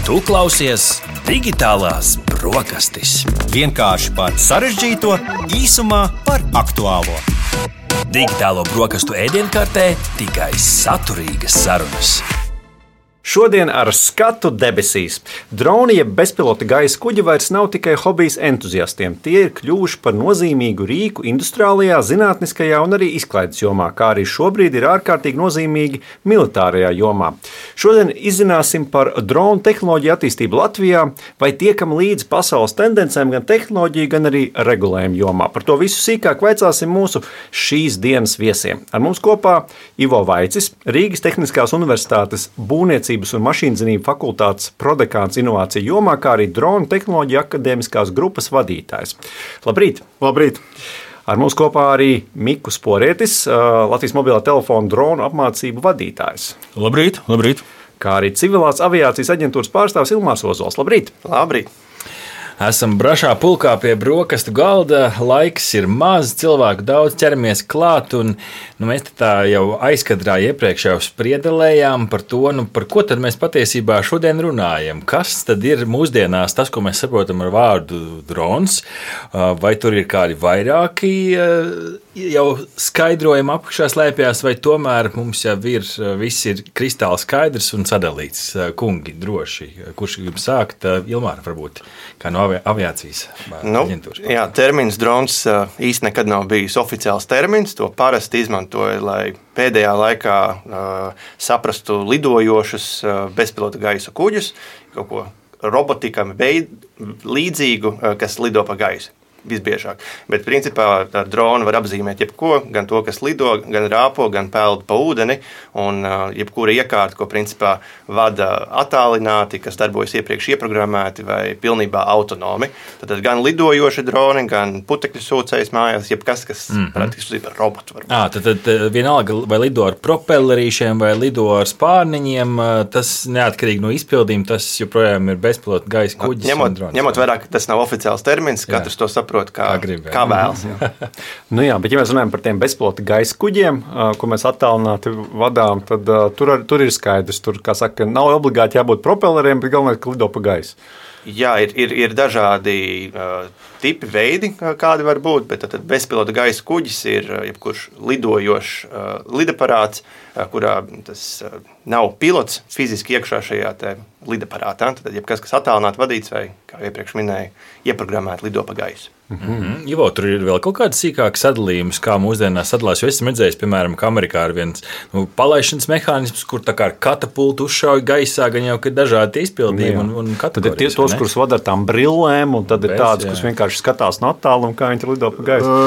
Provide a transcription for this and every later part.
Tu klausies Digitālās brokastis. Vienkārši par sarežģīto, īsumā par aktuālo. Digitālo brokastu ēdienkartē tikai saturīgas sarunas. Šodien ar skatu debesīs. Droni jeb bezpilota gaisa kuģi vairs nav tikai hobijs entuziastiem. Tie ir kļuvuši par nozīmīgu rīku industriālajā, zinātniskajā un arī izklaides jomā, kā arī šobrīd ir ārkārtīgi nozīmīgi militārajā jomā. Šodien izzināsim par dronu tehnoloģiju attīstību Latvijā, vai tiekam līdz pasaules tendencēm gan tehnoloģiju, gan arī regulējumu jomā. Par to visu sīkāk vaicāsim mūsu šīs dienas viesiem. Ar mums kopā Ivo Vaicis, Rīgas Tehniskās Universitātes būvniecības un mašīnzinību fakultātes prodekāns inovāciju jomā, kā arī dronu tehnoloģiju akadēmiskās grupas vadītājs. Labrīt! Labrīt! Ar mums kopā arī Mikus Porietis, Latvijas mobilā telefona dronu apmācību vadītājs. Labrīt! Labrīt! Kā arī civilās aviācijas aģentūras pārstāvs Ilmārs Ozols. Labrīt! Labrīt! Esam brašā pulkā pie brokastu galda, laiks ir maz, cilvēku daudz, ķeramies klāt, un mēs tā jau aizkadrā iepriekš jau spriedelējām par to, par ko tad mēs patiesībā šodien runājam. Kas tad ir mūsdienās tas, ko mēs saprotam ar vārdu drons, vai tur ir kādi vairāki jau skaidrojumi apakšā slēpjas, vai tomēr mums jau ir, viss ir kristāli skaidrs un sadalīts. Kungi, droši, kurš grib sākt? Ilmāra varbūt, kā no aviācijas aģentūras. Jā, termins drons īsti nekad nav bijis oficiāls termins. To parasti izmantoja, lai pēdējā laikā saprastu lidojošus bezpilota gaisa kuģus, kaut ko robotikam līdzīgu, kas lido pa gaisu. Visbiežāk. Bet principā drona var apzīmēt jebko, gan to, kas lido, gan rāpo, gan peld pa ūdeni, un jebkura iekārta, ko principā vada attālināti, kas darbojas iepriekš ieprogrammēti vai pilnībā autonomi. Tad gan lidojoši droni, gan putekļu sūcējs mājās, jebkas, kas praktiski ir robots. Tad vienalga, vai lido ar propellerīšiem, vai lido ar spārniņiem, tas neatkarīgi no izpildījuma, tas joprojām ir bezpilota gaisa kuģis. Ņemot vērā, ka tas nav oficiāls termins, katrs to saprot, kā vēlas. Bet ja mēs runājam par tiem bezpilota gaisa kuģiem, ko mēs attālināti vadām, tad tur ir skaidrs. Tur, kā saka, nav obligāti jābūt propelleriem, bet galvenais, ka lido pa gaisu. Jā, ir dažādi tipi, veidi, kādi var būt, bet tad bezpilota gaisa kuģis ir jebkurš lidojošs lidaparāts, kurā tas nav pilots fiziski iekšā šajā lidaparātā. Tad jebkas, kas attālināti vadīts vai, kā iepriekš minēju, ieprogrammēti lido pa gaisu. Ivo, tur ir vēl kaut kāds sīkāks sadalījums, kā mūsdienās sadalās. Jo esmu redzējis, piemēram, ka Amerikā ir viens palaišanas mehānisms, kur tā kā ar katapultu uzšauj gaisā, gan jau, ka dažādi izpildījumi un kategorijas. Tad ir tos, kurus vada ar tām brillēm, un tad ir tādas, kas vienkārši skatās no attāluma, kā viņi lido pa gaisu.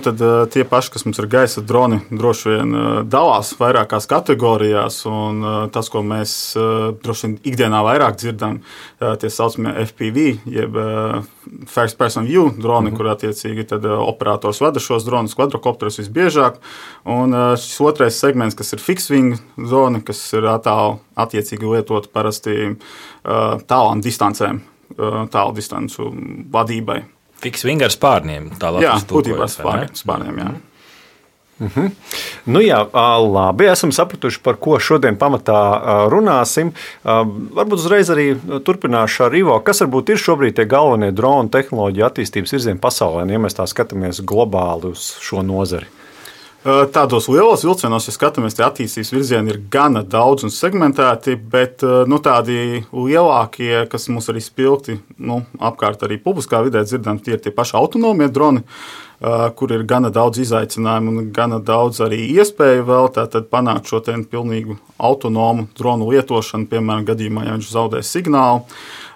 Tad tie paši, kas mums ir gaisa droni, droši vien dalās vairākās kategorijās, un tas, ko mēs droši vien ikdienā vairāk dzirdam, tie saucamie FPV, jeb First Person View droni, kur attiecīgi tad operators vada šos dronus, kvadrokopterus visbiežāk, un šis otrais segments, kas ir fixed wing zona, kas ir attiecīgi lietot parasti tālām distancēm, tālu distancu vadībai. Fixed wing ar spārniem. Jā, būtībā spārniem, jā. Labi, esam sapratuši, par ko šodien pamatā runāsim. Varbūt uzreiz arī turpināšu ar Ivo. Kas varbūt ir šobrīd tie galvenie dronu tehnoloģiju attīstības virzieni pasaulē, ja mēs tā skatāmies globāli uz šo nozari? Tādos lielos vilcienos, ja skatāmies, tie attīstības virzieni ir gana daudz un segmentēti, bet tādi lielākie, kas mums arī spilgti apkārt arī publiskā vidē dzirdam, tie ir tie paši autonomie droni, kur ir gana daudz izaicinājumu un gana daudz arī iespēju vēl tātad panākt šo pilnīgu autonomu dronu lietošanu, piemēram, gadījumā, ja viņš zaudē signālu.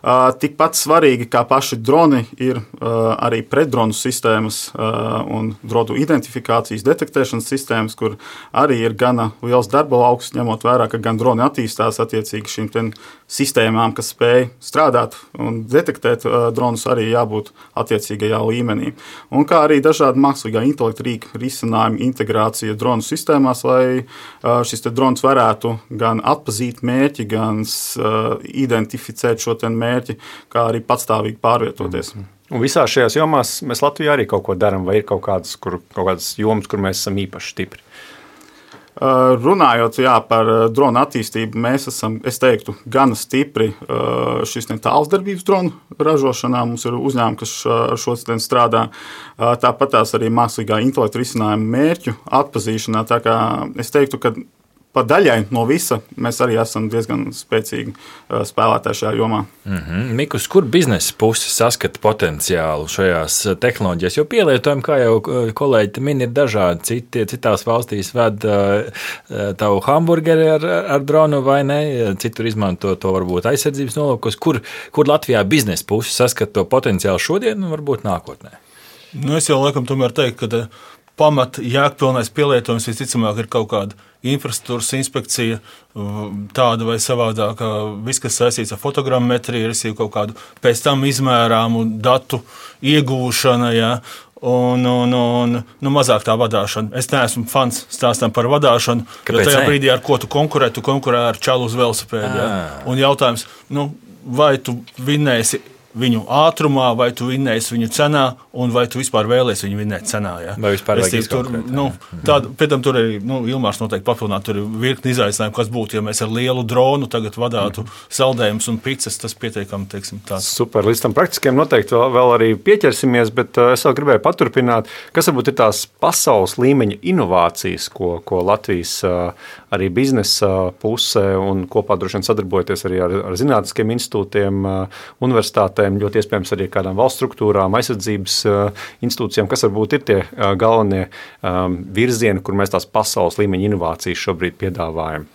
Tikpat svarīgi kā paši droni ir arī pretdronu sistēmas un dronu identifikācijas detektēšanas sistēmas, kur arī ir gana liels darba lauks, ņemot vērā, ka gan droni attīstās attiecīgi šīm sistēmām, kas spēj strādāt un detektēt dronus, arī jābūt attiecīgajā līmenī. Un kā arī dažādi mākslīgā intelekta rīku risinājumi, integrācija dronu sistēmās, lai šis drons varētu gan atpazīt mērķi, gan identificēt šo mērķi, kā arī patstāvīgi pārvietoties. Un visās šajās jomās mēs Latvijā arī kaut ko darām, vai ir kaut kādas jomas, kur mēs esam īpaši stipri? Runājot par dronu attīstību, mēs esam, es teiktu, gana stipri šis tālsdarbības dronu ražošanā. Mums ir uzņēmumi, kas ar šo strādā. Tāpat tās arī mākslīgā intelekta risinājumu mērķu atpazīšanā. Tā kā es teiktu, ka pa daļai no visa mēs arī esam diezgan spēcīgi spēlētāji šajā jomā. Mikus, kur biznesa puse saskata potenciālu šajās tehnoloģijās? Jo pielietojumi, kā jau kolēģi min, ir dažādi. Citās valstīs ved tavu hamburgeri ar dronu vai ne, citur izmanto to varbūt aizsardzības nolūkos. Kur Latvijā biznesa puse saskata to potenciālu šodien un varbūt nākotnē? Es jau laikam tomēr teiktu, ka pamat jēgpilnais pielietojums visticamāk ir kaut kāda infrastruktūras inspekcija, tāda vai savādāka, viss, kas saistīts ar fotogrammetriju, ir kaut kādu pēc tam izmērāmu datu iegūšana, ja, un mazāk tā vadāšana. Es neesmu fans stāstam par vadāšanu, jo tajā brīdī, ar ko tu konkurē ar čalu uz velosipēdu. Ja. Un jautājums, vai tu vinnēsi viņu ātrumā, vai tu vinnēsi viņu cenā, un vai tu vispār vēlies viņu vinnēt cenā. Ja? Vai vispār vajag izkonkurēt? Pēc tam tur arī Ilmārs noteikti papildināt, tur ir virkni izaicinājumu, kas būtu, ja mēs ar lielu dronu tagad vadātu saldējumus un pizzas, tas pietiekami, teiksim, tāds. Super, līdz tam praktiskiem noteikti vēl arī pieķersimies, bet es vēl gribēju paturpināt, kas varbūt ir tās pasaules līmeņa inovācijas, ko Latvijas arī biznesa puse un kopā droši vien sadarbojoties arī ar zinātniskiem institūtiem, universitātēm, ļoti iespējams arī kādām valsts struktūrām, aizsardzības institūcijām, kas varbūt ir tie galvenie virzieni, kur mēs tās pasaules līmeņa inovācijas šobrīd piedāvājam.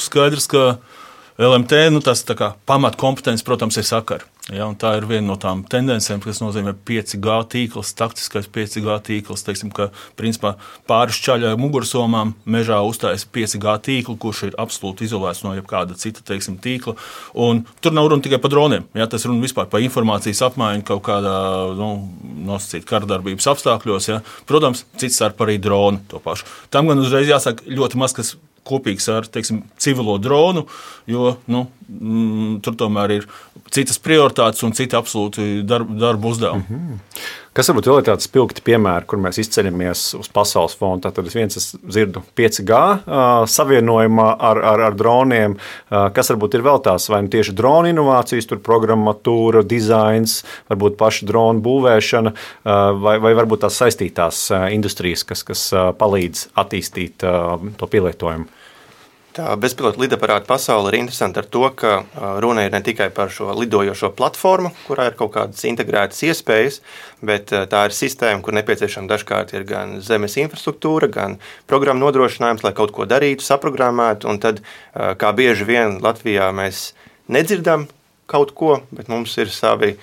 Skaidrs, ka LMT, tas tā kā pamatkompetence, protams, ir sakari. Ja, tā ir viena no tām tendencēm, kas nozīmē 5G tīkls, taktiskais 5G tīkls, teiksim, ka principā pāri šķaļai mugursomām mežā uztājas 5G tīklu, kurš ir absolūti izolēts no jebkāda cita, teiksim, tīkla. Un tur nav runa tikai par droniem, ja, tas runa vispār par informācijas apmaiņu kaut kādā, nosacīt karadarbības apstākļos. Ja. Protams, cits starp arī droni to pašu. Tam gan uzreiz jāsaka ļoti maz, kas kopīgs ar, teiksim, civilo dronu, jo tur tomēr ir citas prioritātes un citi absolūti darba uzdevumi. Kas varbūt vēl ir tāds spilgti piemēri, kur mēs izceļamies uz pasaules fona? Tātad viens es dzirdu 5G savienojumā ar droniem. Kas varbūt ir vēl tās vai tieši dronu inovācijas, tur programmatūra, dizains, varbūt paša dronu būvēšana, vai varbūt tās saistītās industrijas, kas palīdz attīstīt to pielietojumu? Tā bezpilota lidaparāta pasaule ir interesanta ar to, ka runa ir ne tikai par šo lidojošo platformu, kurā ir kaut kādas integrētas iespējas, bet tā ir sistēma, kur nepieciešama dažkārt ir gan zemes infrastruktūra, gan programmu nodrošinājums, lai kaut ko darītu, saprogrammētu, un tad, kā bieži vien Latvijā mēs nedzirdam kaut ko, bet mums ir savi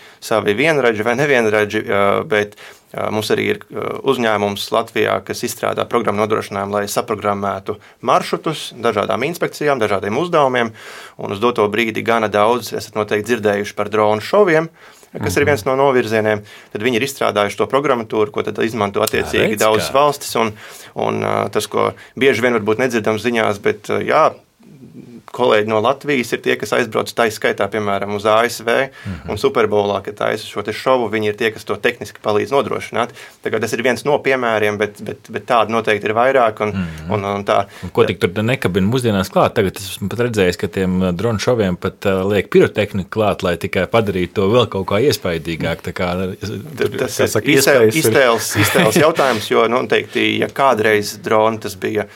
vienradži vai nevienradži, bet mums arī ir uzņēmums Latvijā, kas izstrādā programmu nodrošinājumu, lai saprogrammētu maršrutus dažādām inspekcijām, dažādiem uzdevumiem, un uz doto brīdi gana daudz esat noteikti dzirdējuši par dronu šoviem, kas ir viens no novirzieniem, tad viņi ir izstrādājuši to programmatūru, ko tad izmanto attiecīgi daudzas valstis, un tas, ko bieži vien varbūt nedzirdam ziņās, bet kolēģi no Latvijas ir tie, kas aizbrauc tā skaitā, piemēram, uz ASV un Superbowlā, kad taisa šo te šovu, viņi ir tie, kas to tehniski palīdz nodrošināt. Tagad tas ir viens no piemēriem, bet tādi noteikti ir vairāk. Un tā. Ko tik tur nekabina mūsdienās klāt? Tagad esmu pat redzējis, ka tiem dronu šoviem pat liek pirotehniku klāt, lai tikai padarītu to vēl kaut kā iespaidīgāk. Tas ir iztēles jautājums, jo noteikti, ja kādreiz droni tas bija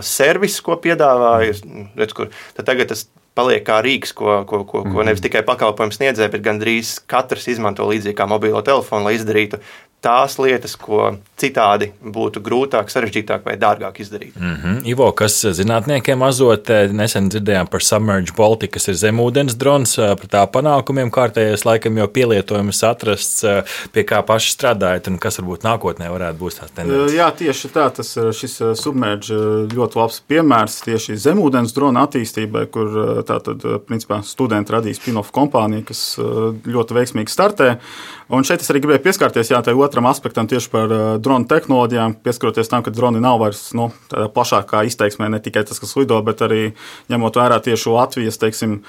servis, ko piedāvāja, tad tagad tas paliek kā rīks, ko nevis tikai pakalpojums sniedzēja, bet gandrīz katrs izmanto līdzīgi kā mobilo telefonu, lai izdarītu tās lietas, ko citādi būtu grūtāk, sarežģītāk vai dārgāk izdarīt. Ivo, kas zinātniekiem azotē, nesen dzirdējām par Submerge Baltic, kas ir zemūdens drons, par tā panākumiem kārtējais laikam jau pielietojums atrasts, pie kā paši strādājat un kas varbūt nākotnē varētu būt tās tendences. Jā, tieši tā, šis Submerge ļoti labs piemērs tieši zemūdens drona attīstībai, kur tātad, principā, studenti radīs spin-off kompāniju, kas ļoti veiksmīgi startē. Un šeit es arī gribēju pieskārties tai otram aspektam tieši par dronu tehnoloģijām, pieskaroties tam, ka droni nav vairs tādā plašākā izteiksmē, ne tikai tas, kas lido, bet arī ņemot vērā tieši Latvijas, teiksim,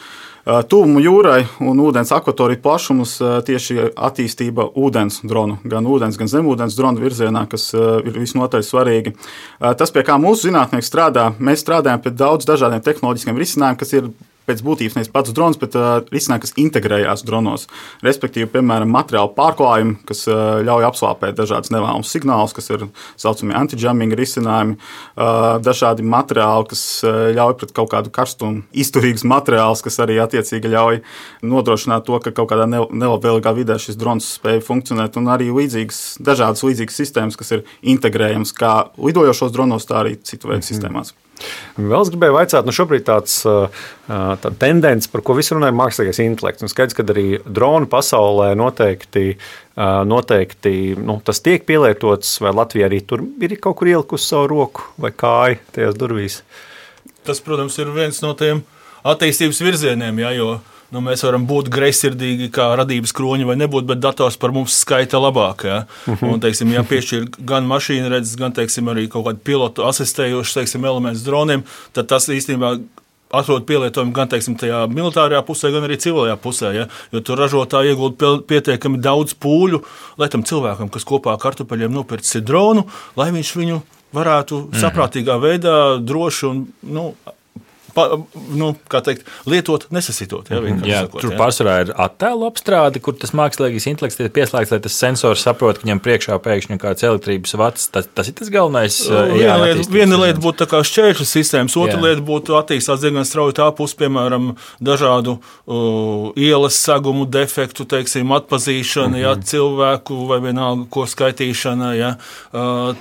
tuvumu jūrai un ūdens akvatoriju plašumus, tieši attīstība ūdens dronu, gan ūdens, gan zemūdens dronu virzienā, kas ir visnotaļ svarīgi. Tas, pie kā mūsu zinātnieki strādā, mēs strādājam pie daudz dažādiem tehnoloģiskiem risinājumiem, kas ir pēc būtības nevis pats drons, bet risinājumi, kas integrējās dronos. Respektīvi, piemēram, materiālu pārklājumi, kas ļauj apslāpēt dažādas nevēlamas signālus, kas ir saucamie anti-jamming risinājumi, dažādi materiāli, kas ļauj pret kaut kādu karstumu izturīgus materiālus, kas arī attiecīgi ļauj nodrošināt to, ka kaut kādā nelabvēlīgā vidē šis drons spēj funkcionēt, un arī dažādas līdzīgas sistēmas, kas ir integrējams kā lidojošos dronos, tā arī citu veidu sistēmās. Vēl es gribēju vaicāt, šobrīd tāda tendence, par ko visi runāja, ir mākslīgais intelekts. Un skaidrs, ka arī dronu pasaulē noteikti tas tiek pielietots, vai Latvija arī tur ir kaut kur ielikusi savu roku vai kāju tajās durvīs. Tas, protams, ir viens no tiem attīstības virzieniem, jo mēs varam būt greizsirdīgi kā radības kroņi vai nebūt, bet dators par mums skaita labāk. Ja? Un, teiksim, ja piešķir gan mašīna redzes, gan, teiksim, arī kaut kādu pilotu asistējošu, teiksim, elements droniem, tad tas īstenībā atrod pielietojumu gan, teiksim, tajā militārajā pusē, gan arī civilajā pusē. Ja? Jo tur ražotāji iegulda pietiekami daudz pūļu, lai tam cilvēkam, kas kopā ar kartupeļiem nopircis dronu, lai viņš viņu varētu saprātīgā veidā droši un, kā teikt, lietot, nesasitot. Ja, tur pārsvarā ir attēlu apstrāde, kur tas mākslīgais intelekts ir pieslēgts, lai tas sensors saprot, ka viņam priekšā pēkšņi kāds elektrības vats. Tas ir tas galvenais. Viena lieta būtu tā kā šķēršļu sistēmas, otra lieta būtu attīstās diezgan strauji tā puse, piemēram, dažādu ielas segumu defektu, teiksim, atpazīšana, cilvēku vai vienalga, ko skaitīšana,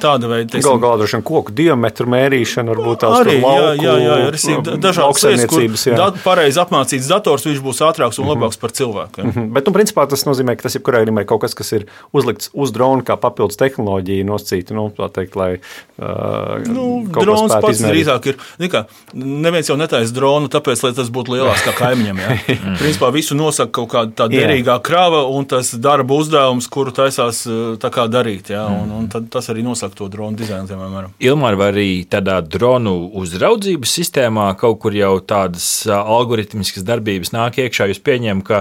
tāda veida. Galvā droši vien koku diametru mērīšana, varbūt tās tur lauku. Dažādas lietas, kur pareizi apmācīts dators, viņš būs ātrāks un labāks par cilvēku. Bet, principā, tas nozīmē, ka tas jebkurā gadījumā ir kaut kas, kas ir uzlikts uz drona kā papildus tehnoloģija nosacīta, tā teikt, lai drons pats drīzāk ir. Neviens jau netaisa dronu, tāpēc, lai tas būtu lielāks kā kaimiņam. Ja? Principā visu nosaka kaut kāda tā derīgā krava un tas darba uzdevums, kuru taisās tā kā darīt. Ja? Un tad tas arī nosaka to dronu dizainu. Ilmār, vai arī tādā dronu uzraudzības sistēmā kaut kur jau tādas algoritmiskas darbības nāk iekšā, jūs pieņemat, ka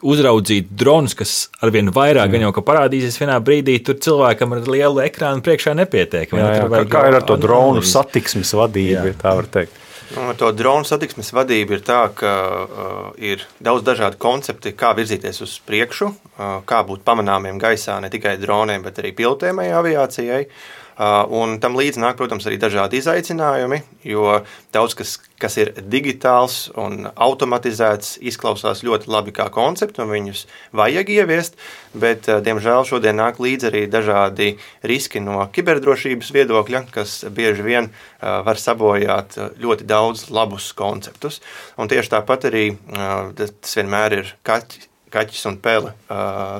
uzraudzīt dronus, kas arvien vairāk gan jau ka parādīsies vienā brīdī, tur cilvēkam ar lielu ekrānu priekšā nepietiek. Kā ir ar to dronu satiksmes vadību, ja tā var teikt? To dronu satiksmes vadība ir tā, ka ir daudz dažādu koncepti, kā virzīties uz priekšu, kā būt pamanāmiem gaisā ne tikai droniem, bet arī pilotējamai aviācijai. Un tam līdz nāk, protams, arī dažādi izaicinājumi, jo daudz kas ir digitāls un automatizēts, izklausās ļoti labi kā koncepti, un viņus vajag ieviest, bet, diemžēl, šodien nāk līdz arī dažādi riski no kiberdrošības viedokļa, kas bieži vien var sabojāt ļoti daudz labus konceptus. Un tieši tāpat arī tas vienmēr ir kaķis un pele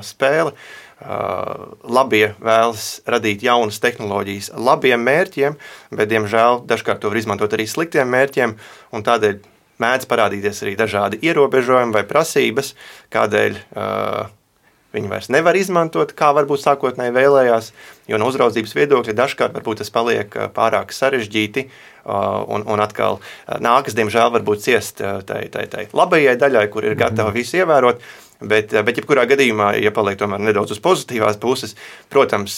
spēle. Labie vēlas radīt jaunas tehnoloģijas labiem mērķiem, bet, diemžēl, dažkārt to var izmantot arī sliktiem mērķiem, un tādēļ mēdz parādīties arī dažādi ierobežojumi vai prasības, kādēļ viņi vairs nevar izmantot, kā varbūt sākotnēji vēlējās, jo no uzraudzības viedokļa dažkārt varbūt tas paliek pārāk sarežģīti, un atkal nākas, diemžēl, varbūt ciest tai labajai daļai, kur ir gatava visu ievērot. Bet jebkurā gadījumā, ja paliek tomēr nedaudz uz pozitīvās puses, protams,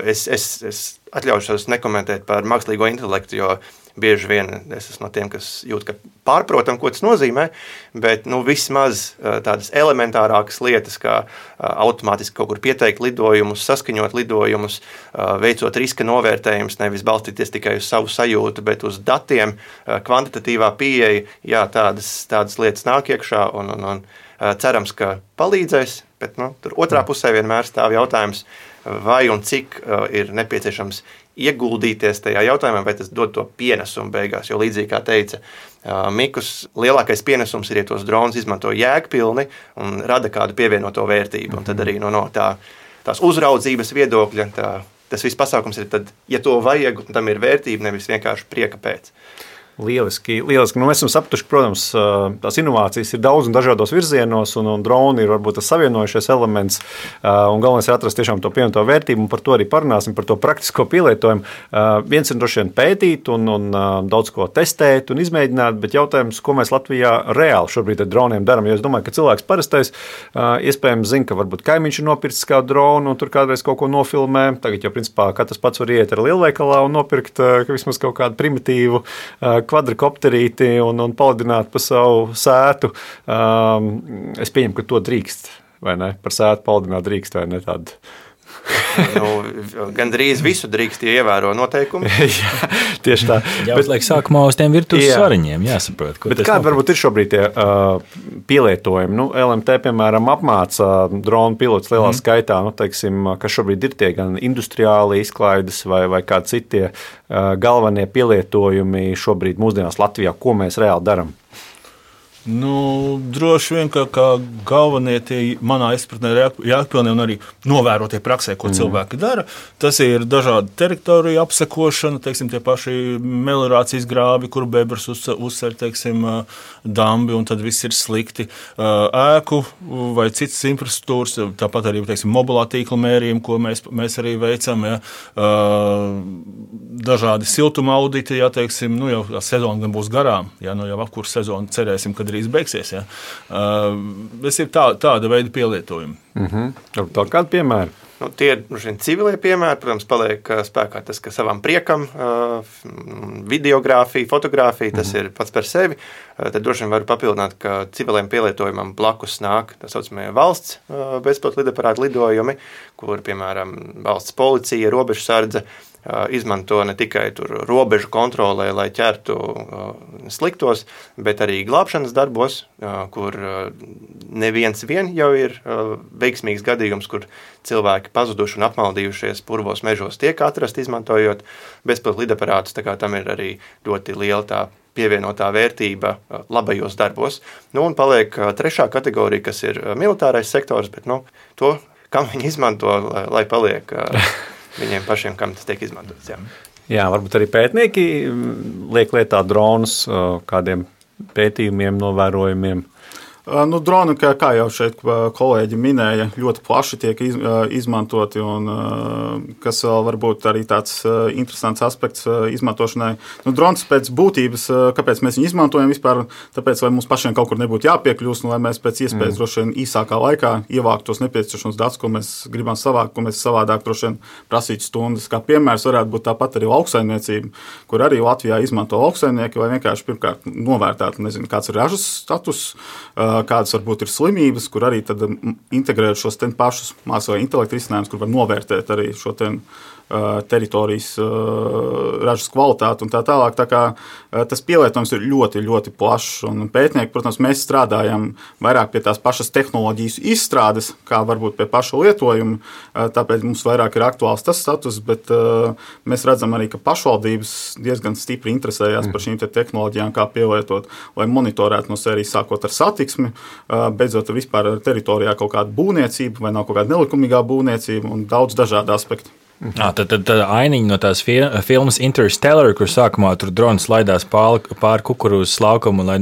es atļaušos nekomentēt par mākslīgo intelektu, jo bieži vien es esmu no tiem, kas jūt, ka pārprotam, ko tas nozīmē, bet vismaz tādas elementārākas lietas, kā automātiski kaut kur pieteikt lidojumus, saskaņot lidojumus, veicot riska novērtējumus, nevis balstīties tikai uz savu sajūtu, bet uz datiem, kvantitatīvā pieeja, jā, tādas lietas nāk iekšā un cerams, ka palīdzēs, bet tur otrā pusē vienmēr stāv jautājums, vai un cik ir nepieciešams ieguldīties tajā jautājumā, vai tas dod to pienesumu beigās, jo līdzīgi kā teica Mikus, lielākais pienesums ir, ja tos dronus izmanto jēgpilni un rada kādu pievienoto vērtību, un tad arī no tās uzraudzības viedokļa, tas viss pasākums ir tad, ja to vajag, tam ir vērtība, nevis vienkārši prieka pēc. Lieliski. Nu, mēs esam sapratuši, ka, protams, tās inovācijas ir daudz un dažādos virzienos, un droni ir varbūt tas savienojušies elements. Galvenais ir atrast tiešām to pievienoto vērtību, un par to arī parunāsim, par to praktisko pielietojumu. Viens ir droši vien pētīt un daudz ko testēt un izmēģināt, bet jautājums, ko mēs Latvijā reāli šobrīd ar droniem darām. Jo es domāju, ka cilvēks parastais iespējams zina, ka varbūt kaimiņš ir nopircis kādu dronu un tur kādreiz kaut ko nofilmē. Tagad jau principā katrs pats var iet ar lielveikalā un nopirkt vismaz kaut kādu primitīvu kvadrikopterīti un palidināt pa savu sētu. Es pieņemu, ka to drīkst, vai ne? Par sētu palidināt drīkst, vai ne tādu? Gandrīz visu drīkst ievēro noteikumi. Jā, tieši tā. Jāuzliek sākumā uz tiem virtuves svariņiem, jāsaprot. Bet kādi varbūt ir šobrīd tie pielietojumi? LMT, piemēram, apmāca dronu pilotus lielā skaitā, teiksim, kas šobrīd ir tie gan industriāli izklaides vai kādi citi galvenie pielietojumi šobrīd mūsdienās Latvijā, ko mēs reāli darām? Droši vien, ka galvenie tie manā izpratnē jēgpilnie un arī novērotie praksē, ko cilvēki dara. Tas ir dažādi teritoriju apsekošana, teiksim, tie paši meliorācijas grābi, kur bebras uzcer, teiksim, dambi, un tad viss ir slikti. Ēku vai citas infrastruktūras, tāpat arī, teiksim, mobilā tīkla mērījumi, ko mēs arī veicam. Ja. Dažādi siltuma auditi, ja, teiksim, jau sezona gan būs garām, ja, jau apkurs sezona cerēsim, kad drīz beigsies. Ja. Tas ir tāda veida pielietojumi. Tā kāda piemēra? Tie ir civilie piemēri, protams, paliek spēkā tas, ka savam priekam videogrāfija, fotogrāfija, tas ir pats par sevi. Tad droši vien var papildināt, ka civiliem pielietojumam blakus nāk tā saucamie valsts bezpilota lidaparāta lidojumi, kur, piemēram, valsts policija, robežsardze izmanto ne tikai tur robežu kontrolē, lai ķertu sliktos, bet arī glābšanas darbos, kur neviens vien jau ir veiksmīgs gadījums, kur cilvēki pazuduši un apmaldījušies purvos mežos tiek atrasti, izmantojot bezpilota lidaparātus, tā kā tam ir arī ļoti liela tā pievienotā vērtība labajos darbos. Un paliek trešā kategorija, kas ir militārais sektors, bet to, kam viņi izmanto, lai paliek viņiem pašiem, kam tas tiek izmantots. Jā, varbūt arī pētnieki liek lietā dronus kādiem pētījumiem, novērojumiem. Droni, kā jau šeit kolēģi minēja, ļoti plaši tiek izmantoti, un kas vēl varbūt arī tāds interesants aspekts izmantošanai. Drons pēc būtības, kāpēc mēs viņu izmantojam vispār, tāpēc, lai mums pašiem kaut kur nebūtu jāpiekļūst, un lai mēs pēc iespējas droši vien īsākā laikā ievāktu tos nepieciešamos datus, ko mēs gribam savākt, ko mēs savādāk droši vien prasītu stundas. Kā piemērs varētu būt tāpat arī lauksaimniecība, kur arī Latvijā izmanto lauksaimnieki, lai vienkārši pirmkārt novērtētu, kāds ir ražas status, kādas varbūt ir slimības, kur arī tad integrēt šos pašus mākslīgā intelekta risinājumus, kur var novērtēt arī šo teritorijas ražas kvalitāti un tā tālāk. Tā kā tas pielietojums ir ļoti, ļoti plašs. Un pētnieki, protams, mēs strādājam vairāk pie tās pašas tehnoloģijas izstrādes, kā varbūt pie paša lietojuma, tāpēc mums vairāk ir aktuāls tas status, bet mēs redzam arī, ka pašvaldības diezgan stipri interesējās par šīm tehnoloģijām, kā pielietot, lai monitorētu no sērijas sākot ar satiksmi, beidzot vispār teritorijā kaut kāda būvniecība vai nav kaut kāda nelikumīgā būvniecība un daudz dažādu aspektu. Tad ainiņa no tās filmas Interstellar, kur sākumā tur drons laidās pāri kukurūzas laukumu, lai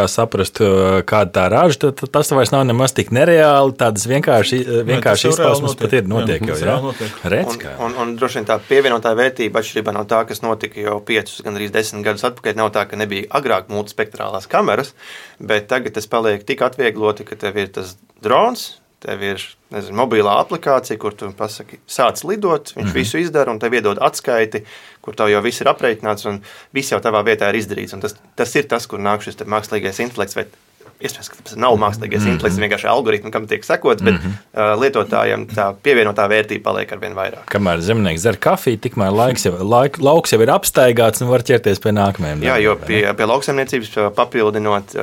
saprastu, kāda tā raža, tad tas vairs nav nemaz tik nereāli, tādas vienkārši izpausmes pat ir notiek jau. Un droši vien tā pievienotā vērtība atšķirībā no tā, kas notika jau 5, gandrīz 10 gadus atpakaļ, nav tā, ka nebija agrāk multispektrālās kameras, bet tagad tas paliek tik atviegloti, ka tev ir tas drons, tev ir mobilā aplikācija, kur tu pasaki, sāc lidot, viņš visu izdara un tev iedod atskaiti, kur tev jau viss ir aprēķināts un viss jau tavā vietā ir izdarīts. Un tas ir tas, kur nāk šis mākslīgais intelekts, vai iespējams, ka tas nav mākslīgais intelekts, vienkārši algoritmi, kam tiek sekots, bet lietotājiem tā pievienotā vērtība paliek arvien vairāk. Kamēr zemnieks dzer kafiju, tikmēr lauks jau ir apstaigāts un var ķerties pie nākamajiem. Jā, jo pie lauksaimniecības papildinot,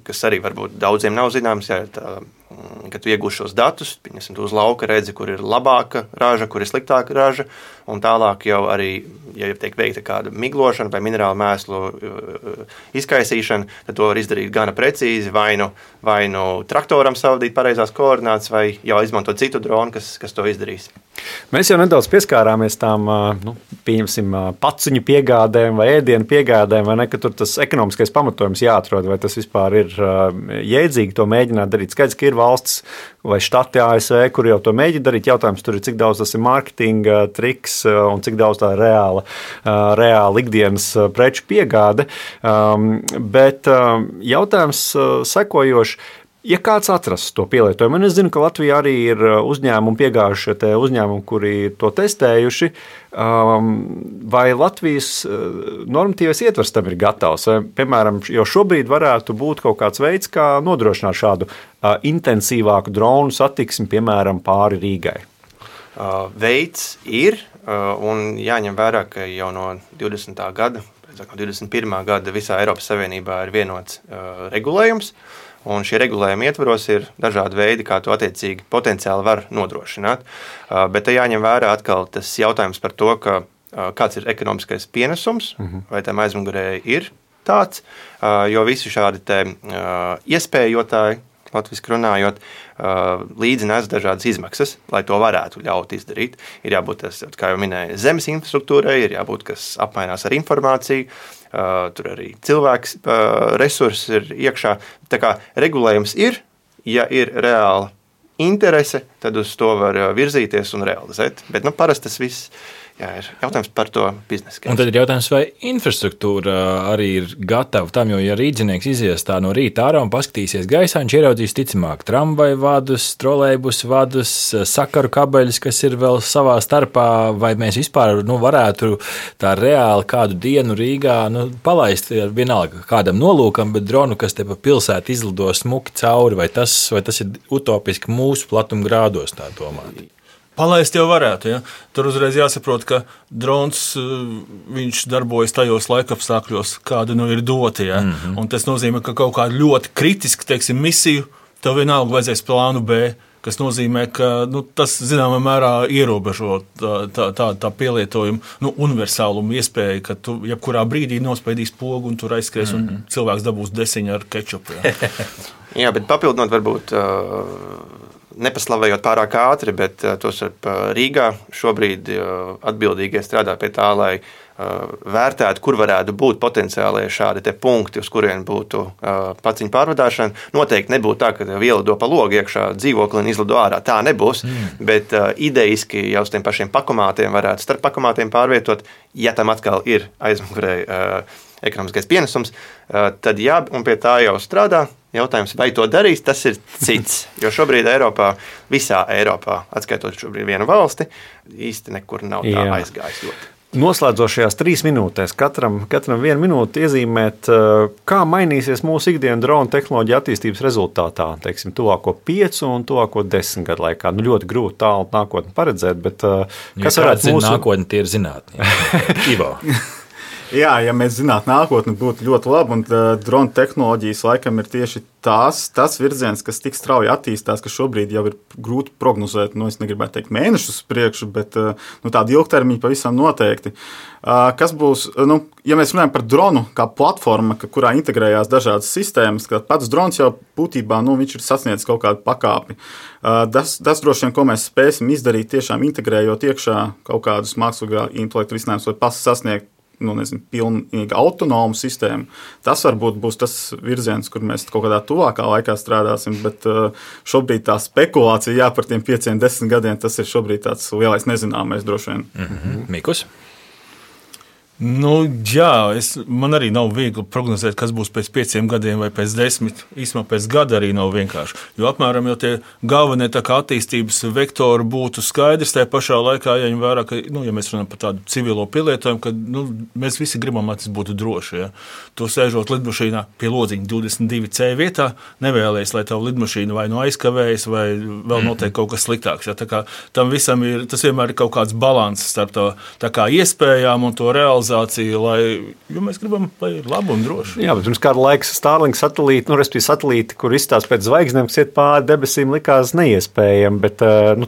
kas arī varbūt daudziem nav zināms, jā, tā kad tu iegūsi šos datus, pieņemsim, tu uz lauka redzi, kur ir labāka raža, kur ir sliktāka raža, un tālāk jau arī, ja tiek veikta kāda miglošana vai minerālu mēslu izkaisīšana, tad to var izdarīt gana precīzi, vai nu traktoram savadīt pareizās koordinātas, vai jau izmantot citu dronu, kas to izdarīs. Mēs jau nedaudz pieskārāmies tām, pieņemsim, paciņu piegādēm vai ēdienu piegādēm, vai ne, ka tur tas ekonomiskais pamatojums jāatrod, vai tas vispār ir jēdzīgi to mēģināt darīt. Skaidrs, ka ir valsts vai štati ASV, kur jau to mēģina darīt. Jautājums tur ir, cik daudz tas ir mārketinga triks un cik daudz tā ir reāla ikdienas preču piegāde. Bet jautājums sekojoši. Ja kāds atrast to pielietojumu, un es zinu, ka Latvijā arī ir uzņēmumi, piegājušie uzņēmumi, kuri to testējuši, vai Latvijas normatīvais ietvers tam ir gatavs? Vai, piemēram, jau šobrīd varētu būt kaut kāds veids, kā nodrošināt šādu intensīvāku dronu satiksmi, piemēram, pāri Rīgai? Veids ir, un jāņem vērā, ka jau no 20. gada, 21. gada visā Eiropas Savienībā ir vienots regulējums, un šie regulējumi ietvaros ir dažādi veidi, kā to attiecīgi potenciāli var nodrošināt. Bet te jāņem vērā atkal tas jautājums par to, kāds ir ekonomiskais pienesums, vai tam aizmugurē ir tāds, jo visi šādi te iespējotāji, latviski runājot, līdzi nes dažādas izmaksas, lai to varētu ļaut izdarīt. Ir jābūt, kā jau minēju, zemes infrastruktūrai, ir jābūt, kas apmainās ar informāciju, tur arī cilvēks resursi ir iekšā. Tā kā regulējums ir, ja ir reāla interese, tad uz to var virzīties un realizēt. Bet parasti tas viss ir jautājums par to biznesu. Un tad ir jautājums, vai infrastruktūra arī ir gatava tam, jo ja rīdzinieks izies tā no rīta ārā un paskatīsies gaisā, viņš ieraudzīs ticamāk tramvaju vadus, trolejbus vadus, sakaru kabeļus, kas ir vēl savā starpā, vai mēs vispār varētu tā reāli kādu dienu Rīgā palaist vienalga kādam nolūkam, bet dronu, kas te pa pilsētu izlido smuki cauri, vai tas ir utopiski mūsu platuma grādos tā domāt? Palaist jau varētu. Ja? Tur uzreiz jāsaprot, ka drons viņš darbojas tajos laikapstākļos, kāda ir dota. Ja? Un tas nozīmē, ka kaut kādu ļoti kritisku misiju tev vienalga vajadzēs plānu B, kas nozīmē, ka tas zināmā mērā ierobežo tā pielietojumu universālumu iespēju, ka tu jebkurā brīdī nospēdīs pogu un tur aizskries un cilvēks dabūs desiņu ar kečupu. Ja? Jā, bet papildinot varbūt nepaslavējot pārāk ātri, bet tos Rīgā šobrīd atbildīgie strādā pie tā, lai vērtētu, kur varētu būt potenciālie šādi te punkti, uz kuriem būtu paciņu pārvadāšana. Noteikti nebūtu tā, ka ielido pa logu iekšā dzīvokli un izlido ārā. Tā nebūs, bet idejiski jau uz tiem pašiem pakomātiem varētu starp pakomātiem pārvietot, ja tam atkal ir aizmugurē ekonomiskais pienesums, tad jā, un pie tā jau strādā. Jautājums, vai to darīs, tas ir cits. Jo šobrīd visā Eiropā, atskaitot šobrīd vienu valsti, īsti nekur nav tā aizgājis ļoti. Noslēdzošajās 3 minūtēs katram 1 minūti iezīmēt, kā mainīsies mūsu ikdienas drona tehnoloģija attīstības rezultātā, teiksim, tuvāko 5 un tuvāko 10 gadu laikā. Ļoti grūti tālu nākotni paredzēt, bet kas varētu mūsu... Nākotni tie ir zinātni. Ivo. Jā, ja mēs zinātu nākotni, būtu ļoti labi, un drona tehnoloģijas laikam ir tieši tas virziens, kas tik strauji attīstās, ka šobrīd jau ir grūti prognozēt, es negribētu teikt mēnešus priekšu, bet tādi ilgtermiņi pavisam noteikti. Kas būs, ja mēs runājam par dronu kā platformu, kurā integrējās dažādas sistēmas, ka pats drons jau būtībā, viņš ir sasniedzis kaut kādu pakāpi. Tas droši vien, ko mēs spēsim izdarīt, tiešām integrējot iekšā kaut kādus mākslīgā intelektu risinājumus vai sasniegt pilnīgi autonomu sistēmu. Tas varbūt būs tas virziens, kur mēs kaut kādā tuvākā laikā strādāsim, bet šobrīd tā spekulācija par tiem 5-10 gadiem, tas ir šobrīd tāds lielais nezināmais droši vien. Mikus? Jā, man arī nav viegli prognozēt, kas būs pēc 5 gadiem vai pēc 10. Īsumā pēc gada arī nav vienkārši. Jo apmēram jau tie galvenie attīstības vektori būtu skaidrs, tajā pašā laikā jāņem vērā, ka, ja mēs runājam par tādu civilo pielietojumu, ka mēs visi gribam, lai tas būtu droši. Ja? Tu sēžot lidmašīnā pie lodziņa 22C vietā, nevēlies, lai tavu lidmašīnu vai aizkavējas, vai vēl notiek kaut kas sliktāks. Ja? Tā kā tam visam tas vienmēr ir kaut kāds balanss starp tā kā iespējām un to realizāciju. komercializācija, jo mēs gribam, lai ir labi un droši. Jā, bet pirms kāda laika Starlink satelīti, kur izstāsta pēc zvaigznēm, kas iet pāri debesīm, likās neiespējami, bet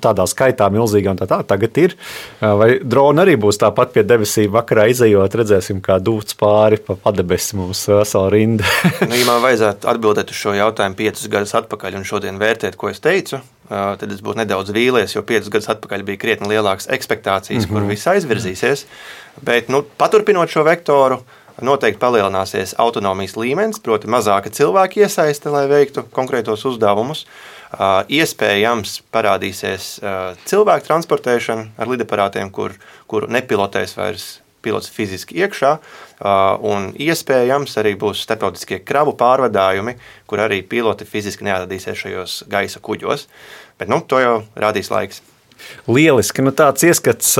tādā skaitā milzīgā un tā tagad ir. Vai droni arī būs tāpat pie debesīm vakarā izejot, redzēsim, kā dūts pāri pa padebesi mums vesela rinda. Ja man vajadzētu atbildēt uz šo jautājumu 5 gadus atpakaļ un šodien vērtēt, ko es teicu, tad es būtu nedaudz vīlies, jo 5 gadus atpakaļ bija krietni lielākas ekspektācijas, kur viss aizvirzīsies. Bet paturpinot šo vektoru, noteikti palielināsies autonomijas līmenis, proti mazāka cilvēka iesaiste, lai veiktu konkrētos uzdevumus. Iespējams parādīsies cilvēku transportēšana ar lidaparātiem, kur nepilotēs vairs pilots fiziski iekšā, un iespējams arī būs starptautiskie kravu pārvadājumi, kur arī piloti fiziski neatradīsies šajos gaisa kuģos. Bet to jau rādīs laiks. Lieliski. Tāds ieskats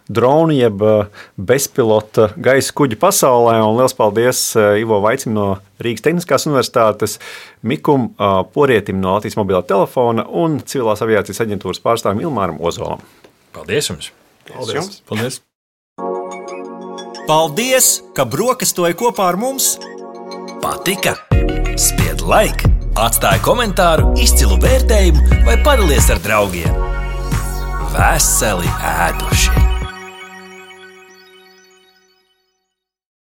dronu jeb bezpilota gaisa kuģu pasaulē. Un liels paldies Ivo Vaicim no Rīgas Tehniskās universitātes, Mikum Porietim no Latvijas mobilā telefona un Civilās aviācijas aģentūras pārstāvim Ilmāram Ozolam. Paldies jums! Paldies! Paldies. Paldies, ka brokastoji kopā ar mums! Patika? Spied like, atstāj komentāru, izcilu vērtējumu vai padalies ar draugiem. Veseli ēduši!